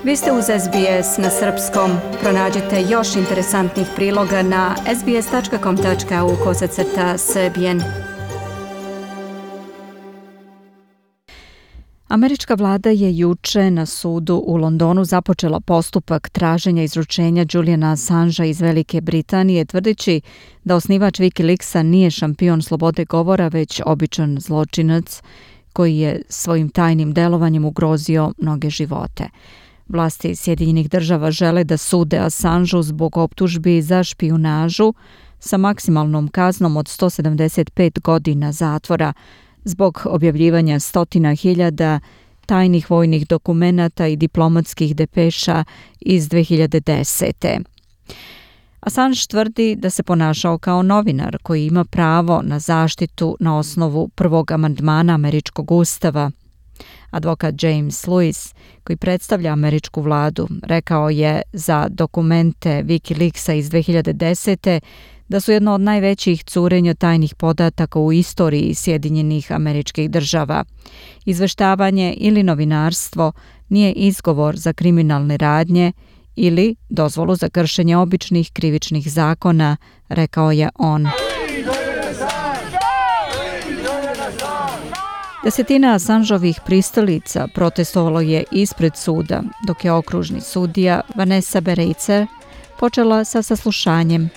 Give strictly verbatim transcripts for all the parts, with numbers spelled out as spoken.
Vi ste uz S B S na srpskom. Pronađite još interesantnih priloga na sbs tačka com tačka au kosacrta srbijen. Američka vlada je juče na sudu u Londonu započela postupak traženja izručenja Juliana Assangea iz Velike Britanije, tvrdeći da osnivač Wikileaksa nije šampion slobode govora, već običan zločinac koji je svojim tajnim delovanjem ugrozio mnoge živote. Vlasti Sjedinjenih država žele da sude Assangeu zbog optužbi za špijunažu sa maksimalnom kaznom od sto sedamdeset pet godina zatvora zbog objavljivanja stotina hiljada tajnih vojnih dokumenata i diplomatskih depeša iz dve hiljade desete. Assange tvrdi da se ponašao kao novinar koji ima pravo na zaštitu na osnovu prvog amandmana američkog ustava. Advokat James Lewis, koji predstavlja američku vladu, rekao je za dokumente Wikileaksa iz dve hiljade desete da su jedno od najvećih curenja tajnih podataka u istoriji Sjedinjenih Američkih Država. Izveštavanje ili novinarstvo nije izgovor za kriminalne radnje ili dozvolu za kršenje običnih krivičnih zakona, rekao je on. Desetina Assangeovih pristalica protestovalo je ispred suda, dok je okružni sudija Vanessa Bereicer počela sa saslušanjem.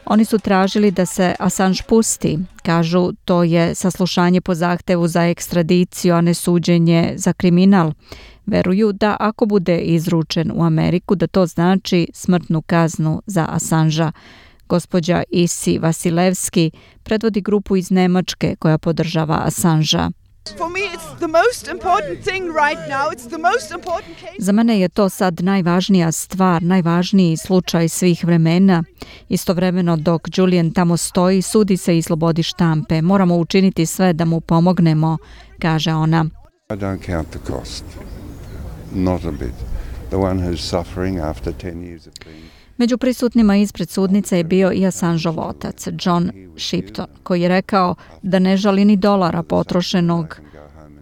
Oni su tražili da se Assange pusti. Kažu, to je saslušanje po zahtevu za ekstradiciju, a ne suđenje za kriminal. Veruju da ako bude izručen u Ameriku, da to znači smrtnu kaznu za Assangea. Gospođa Isi Vasilevski predvodi grupu iz Nemačke koja podržava Assangea. Za mene je to sad najvažnija stvar, najvažniji slučaj svih vremena. Istovremeno dok Julian tamo stoji, sudi se i slobodi štampe. Moramo učiniti sve da mu pomognemo, kaže ona. I don't count the cost. Not a bit. The one who's suffering after ten years of being... Među prisutnima ispred sudnice je bio i Assangeov otac, John Shipton, koji je rekao da ne žali ni dolara potrošenog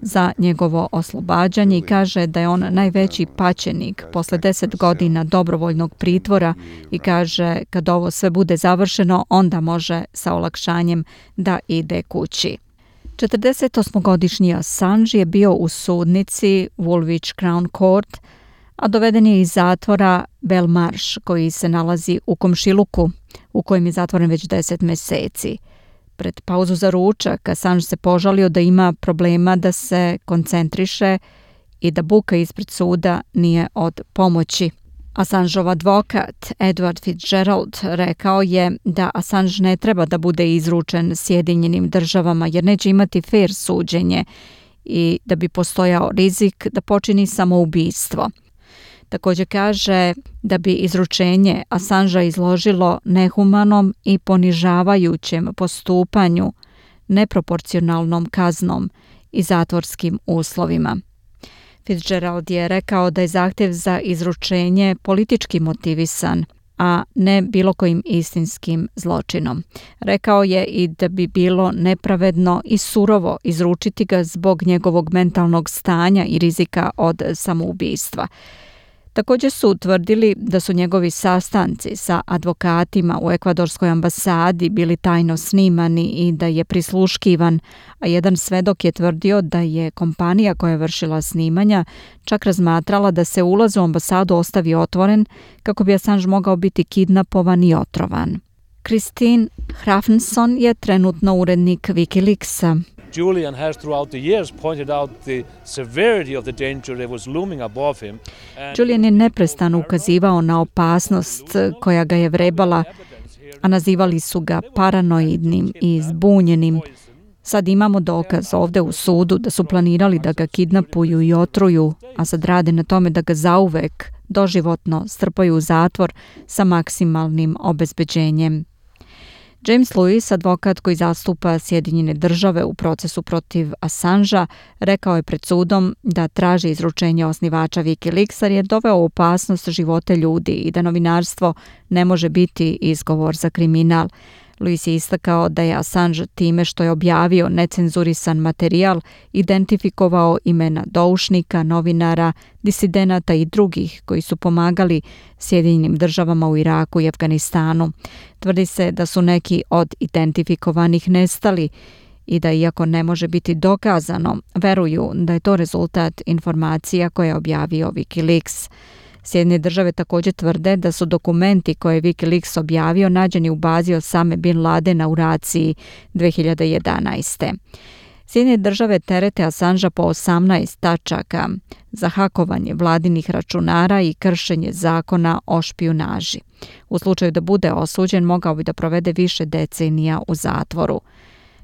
za njegovo oslobađanje i kaže da je on najveći paćenik posle deset godina dobrovoljnog pritvora i kaže kad ovo sve bude završeno, onda može sa olakšanjem da ide kući. četrdesetosmogodišnji Assange je bio u sudnici Woolwich Crown Court, a doveden je iz zatvora Belmarsh, koji se nalazi u komšiluku, u kojem je zatvoren već deset meseci. Pred pauzu za ručak Assange se požalio da ima problema da se koncentriše i da buka ispred suda nije od pomoći. Assangeov advokat Edward Fitzgerald rekao je da Assange ne treba da bude izručen Sjedinjenim državama jer neće imati fair suđenje i da bi postojao rizik da počini samoubistvo. Također kaže da bi izručenje Assangea izložilo nehumanom i ponižavajućem postupanju, neproporcionalnom kaznom i zatvorskim uslovima. Fitzgerald je rekao da je zahtjev za izručenje politički motivisan, a ne bilo kojim istinskim zločinom. Rekao je i da bi bilo nepravedno i surovo izručiti ga zbog njegovog mentalnog stanja i rizika od samoubistva. Također su utvrdili da su njegovi sastanci sa advokatima u ekvadorskoj ambasadi bili tajno snimani i da je prisluškivan, a jedan svedok je tvrdio da je kompanija koja je vršila snimanja čak razmatrala da se ulaz u ambasadu ostavi otvoren kako bi Assange mogao biti kidnapovan i otrovan. Christine Hrafnsson je trenutno urednik Wikileaksa. Julian has throughout the years pointed out the severity of the danger that was looming above him. Julian je neprestano ukazivao na opasnost koja ga je vrebala, a nazivali su ga paranoidnim i zbunjenim. Sad imamo dokaz ovde u sudu da su planirali da ga kidnapuju i otruju, a sad rade na tome da ga zauvek doživotno strpaju u zatvor sa maksimalnim obezbeđenjem. James Lewis, advokat koji zastupa Sjedinjene države u procesu protiv Assangea, rekao je pred sudom da traži izručenje osnivača Wikileaksa jer je doveo u opasnost živote ljudi i da novinarstvo ne može biti izgovor za kriminal. Luis je istakao da je Assange time što je objavio necenzurisan materijal identifikovao imena doušnika, novinara, disidenata i drugih koji su pomagali Sjedinjenim državama u Iraku i Afganistanu. Tvrdi se da su neki od identifikovanih nestali i da, iako ne može biti dokazano, veruju da je to rezultat informacija koje je objavio Wikileaks. Sjedinjene države također tvrde da su dokumenti koje je Wikileaks objavio nađeni u bazi Osame bin Ladena u Raciji dve hiljade jedanaeste. Sjedinjene države terete Assangea po osamnaest tačaka za hakovanje vladinih računara i kršenje zakona o špijunaži. U slučaju da bude osuđen, mogao bi da provede više decenija u zatvoru.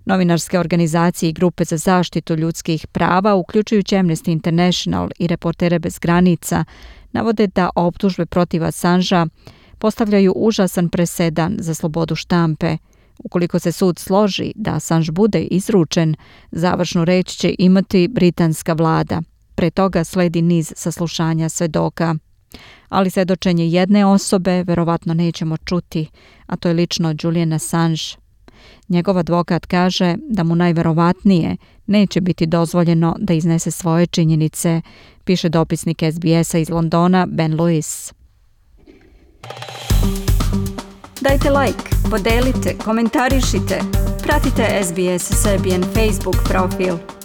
Novinarske organizacije i grupe za zaštitu ljudskih prava, uključujući Amnesty International i Reportere bez granica, navode da optužbe protiv Assangea postavljaju užasan presedan za slobodu štampe. Ukoliko se sud složi da Assange bude izručen, završnu reč će imati britanska vlada. Pre toga sledi niz saslušanja svedoka. Ali svedočenje jedne osobe verovatno nećemo čuti, a to je lično Julian Assange. Njegov advokat kaže da mu najverovatnije neće biti dozvoljeno da iznese svoje činjenice, piše dopisnik S B S-a iz Londona Ben Lewis. Dajte like, podelite, komentarišite, pratite S B S Serbian Facebook profil.